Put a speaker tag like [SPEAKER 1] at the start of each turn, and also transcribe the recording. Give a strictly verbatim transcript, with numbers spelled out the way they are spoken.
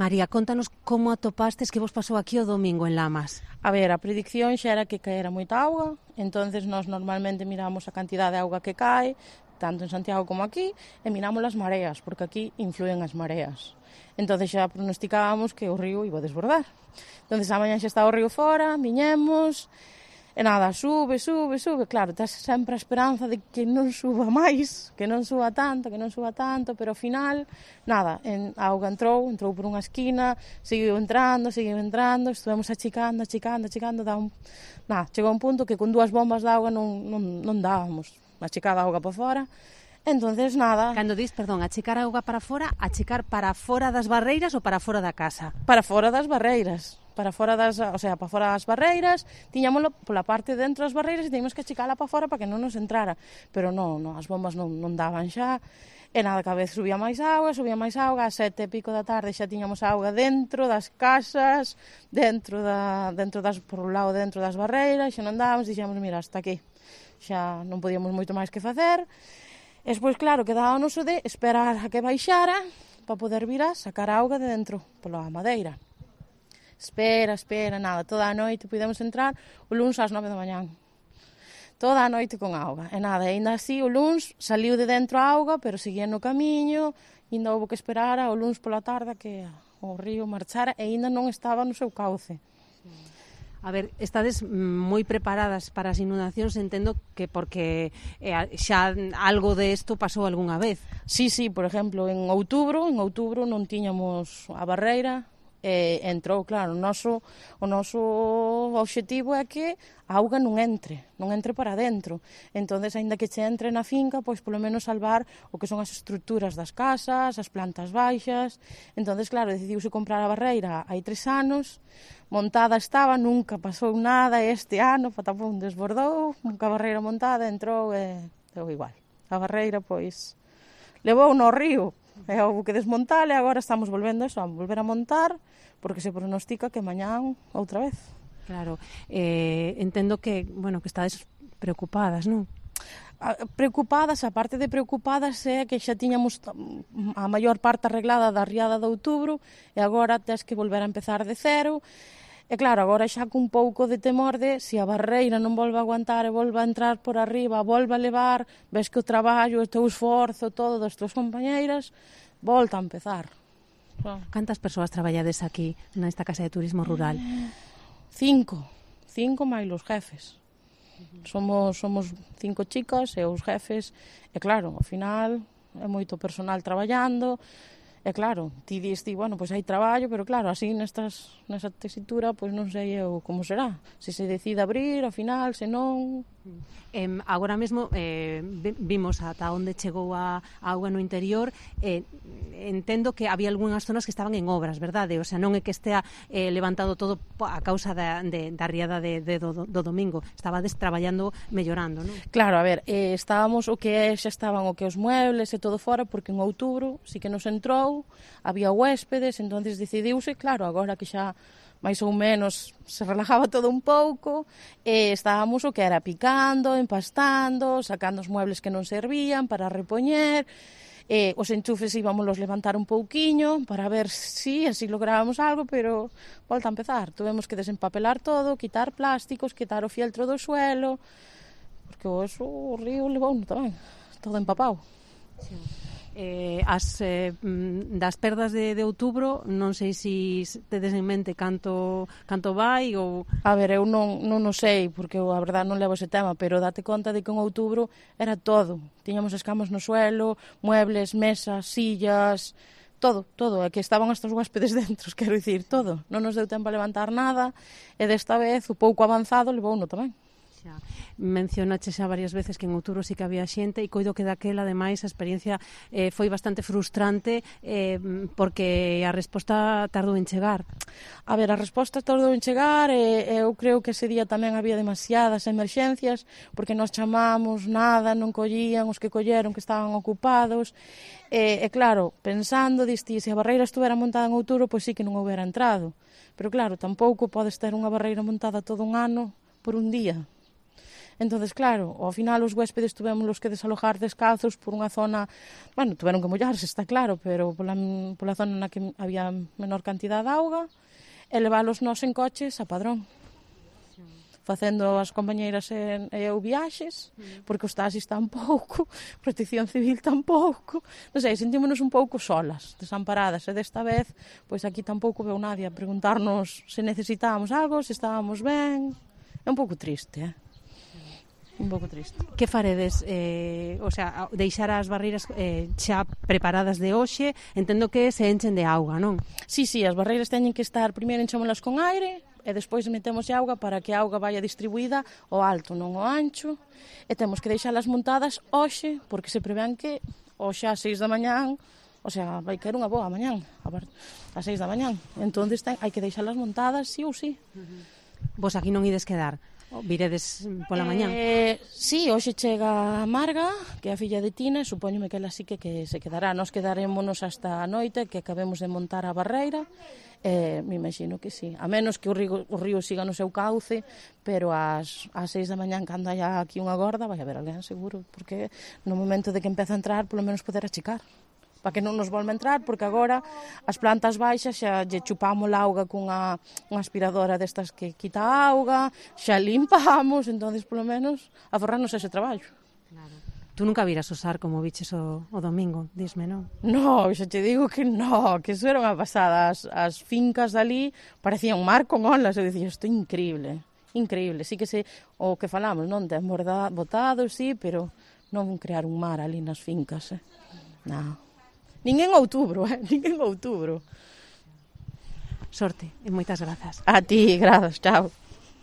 [SPEAKER 1] María, contanos como atopastes que vos pasou aquí o domingo en Lamas.
[SPEAKER 2] A ver, a predicción xa era que caera moita auga, entonces nós normalmente miramos a cantidad de auga que cae, tanto en Santiago como aquí, e miramos as mareas, porque aquí influen as mareas. Entonces xa pronosticábamos que o río iba a desbordar. Entonces a mañan xa está o río fora, viñemos, e nada, sube, sube, sube. Claro, tens sempre a esperanza de que non suba máis, que non suba tanto, que non suba tanto, pero ao final, nada, en, a auga entrou, entrou por unha esquina, seguiu entrando, seguiu entrando, estuvemos achicando, achicando, achicando, dá un... nada, chegou un punto que con dúas bombas de auga non, non, non dábamos, achicada a auga para fora. Entonces, nada...
[SPEAKER 1] Cando dis, perdón, achicar a auga para fora, achicar para fora das barreiras ou para fora da casa?
[SPEAKER 2] Para fora das barreiras. Para fora das, o sea, para fora das barreiras, tiñámoslo pola parte dentro das barreiras e teníamos que achicala para fora para que non nos entrara. Pero non, non, as bombas non, non daban xa. E nada, cada vez subía máis auga, subía máis auga, a sete e pico da tarde xa tiñamos auga dentro das casas, dentro da, dentro das, por un lado dentro das barreiras, xa non dábamos, dixemos, mira, hasta aquí. Xa non podíamos moito máis que facer. E despois, claro, quedábamos o de esperar a que baixara para poder vir a sacar a auga de dentro, pola madeira. Espera, espera, nada, toda a noite pudemos entrar o luns ás nove da mañán. Toda a noite con auga. E nada, ainda así o luns saliu de dentro a auga, pero seguía no camiño, ainda houve que esperar ao luns pola tarde que o río marchara e ainda non estaba no seu cauce.
[SPEAKER 1] A ver, estades moi preparadas para as inundacións, entendo que porque eh, xa algo de isto pasou algunha vez.
[SPEAKER 2] Sí, sí, por exemplo, en outubro, en outubro non tiñamos a barreira, e entrou, claro, o noso, o noso obxectivo é que a auga non entre, non entre para dentro. Entonces, aínda que che entre na finca, pois polo menos salvar o que son as estruturas das casas, as plantas baixas. Entonces, claro, decidiuse comprar a barreira hai tres anos, montada estaba, nunca pasou nada, e este ano, patapón, desbordou, nunca a barreira montada, entrou e deu igual. A barreira, pois, levou no río, e houve que desmontar, e agora estamos volvendo eso, a volver a montar, porque se pronostica que mañán outra vez.
[SPEAKER 1] Claro, eh, entendo que, bueno, que estades preocupadas, non?
[SPEAKER 2] Preocupadas, a parte de preocupadas é que xa tiñamos a maior parte arreglada da riada de outubro e agora tes que volver a empezar de cero. E claro, agora xa cun pouco de temor de se a barreira non volve a aguantar e volve a entrar por arriba, volve a levar, ves que o traballo, o teu esforzo, todo das tuas compañeiras, volta a empezar.
[SPEAKER 1] Cantas persoas traballades aquí nesta casa de turismo rural?
[SPEAKER 2] Cinco, cinco máis os jefes. Somos, somos cinco chicas e os jefes, e claro, ao final é moito personal traballando. E claro, ti diste, bueno, pois hai traballo, pero claro, así nestas, nesa tesitura, pois non sei eu como será. Se se decide abrir, ao final, se non...
[SPEAKER 1] Eh, agora mesmo eh, vimos ata onde chegou a, a auga no interior. eh, entendo que había algunhas zonas que estaban en obras, verdade? O sea, non é que estea eh, levantado todo a causa da, de, da riada de, de, do, do domingo. Estabades traballando, mellorando, non?
[SPEAKER 2] Claro, a ver, eh, estábamos o que é, xa estaban o que os muebles e todo fora, porque en outubro sí que nos entrou, había huéspedes, entonces decidiuse, claro, agora que xa máis ou menos se relajaba todo un pouco, e estábamos o que era picando, empastando, sacando os muebles que non servían para repoñer, e os enchufes íbamos levantar un pouquiño para ver si así lográbamos algo, pero volta a empezar, tuvemos que desempapelar todo, quitar plásticos, quitar o fieltro do suelo, porque o, eso, o río levou tamén, todo empapado.
[SPEAKER 1] Sí. Eh, as eh, das perdas de, de outubro, non sei se si tedes en mente canto, canto vai ou...
[SPEAKER 2] A ver, eu non, non o sei, porque eu a verdade non levo ese tema, pero date conta de que en outubro era todo. Tiñamos escamas no suelo, muebles, mesas, sillas, todo, todo, é que estaban estes huéspedes dentro, quero dicir, todo. Non nos deu tempo a levantar nada, e desta vez o pouco avanzado levou uno tamén.
[SPEAKER 1] Xa. Mencionache xa varias veces que en outubro sí que había xente, e coido que daquela, ademais, a experiencia eh, foi bastante frustrante eh, porque a resposta tardou en chegar.
[SPEAKER 2] A ver, a resposta tardou en chegar e eu creo que ese día tamén había demasiadas emerxencias, porque nos chamamos, nada, non collían, os que colleron que estaban ocupados, e, e claro, pensando, diste, se a barreira estuvera montada en outubro, pois sí que non houbera entrado. Pero claro, tampouco podes ter unha barreira montada todo un ano por un día. Entonces, claro, ao final os huéspedes tuvemos que desalojar descalzos por unha zona, bueno, tuveron que mollarse, está claro, pero pola, pola zona na que había menor cantidad de auga, e leválos nós en coches a Padrón, facendo as compañeiras e eu viaxes, porque os taxis tampouco, Protección Civil tampouco, non sei, sentímonos un pouco solas, desamparadas, e desta vez, pois aquí tampouco veu nadie a preguntarnos se necesitábamos algo, se estábamos ben. É un pouco triste, eh? Un pouco triste.
[SPEAKER 1] Que faredes? Eh, o sea, deixar as barreiras eh, xa preparadas de hoxe, entendo que se enchen de auga, non?
[SPEAKER 2] Sí, sí, as barreiras teñen que estar, primeiro enchémolas con aire, e despois metemos auga para que a auga vaya distribuída ao alto, non ao ancho, e temos que deixalas montadas hoxe, porque se prevén que hoxe ás seis da mañán, o sea, vai caer unha boa mañán, ás seis da mañán, entón hai que deixalas montadas sí ou sí.
[SPEAKER 1] Vos aquí non ides quedar? Viredes pola mañán?
[SPEAKER 2] Eh, sí, hoxe chega a Marga, que é a filla de Tina, e supoñome que ela sí que, que se quedará. Nos quedarémonos hasta a noite, que acabemos de montar a barreira, eh, me imagino que sí. A menos que o río, o río siga no seu cauce, pero ás, ás seis da mañán, cando haya aquí unha gorda, vai haber alguén seguro, porque no momento de que empeza a entrar, polo menos poder achicar, para que non nos volva a entrar, porque agora as plantas baixas xa lle chupamos a auga cunha unha aspiradora destas que quita a auga, xa limpamos, entonces polo menos aforrarnos ese traballo.
[SPEAKER 1] Claro. Tú nunca viras usar como biches o, o domingo, disme, non?
[SPEAKER 2] No, xa te digo que no, que eso era unha pasada. As, as fincas dali parecían un mar con olas, eu dicía, isto é increíble, increíble, sí que se, o que falamos, non, ten botado, sí, pero non crear un mar ali nas fincas, eh? Non. Nin en outubro, eh? Nin en outubro.
[SPEAKER 1] Sorte e moitas grazas.
[SPEAKER 2] A ti, grazas, chao.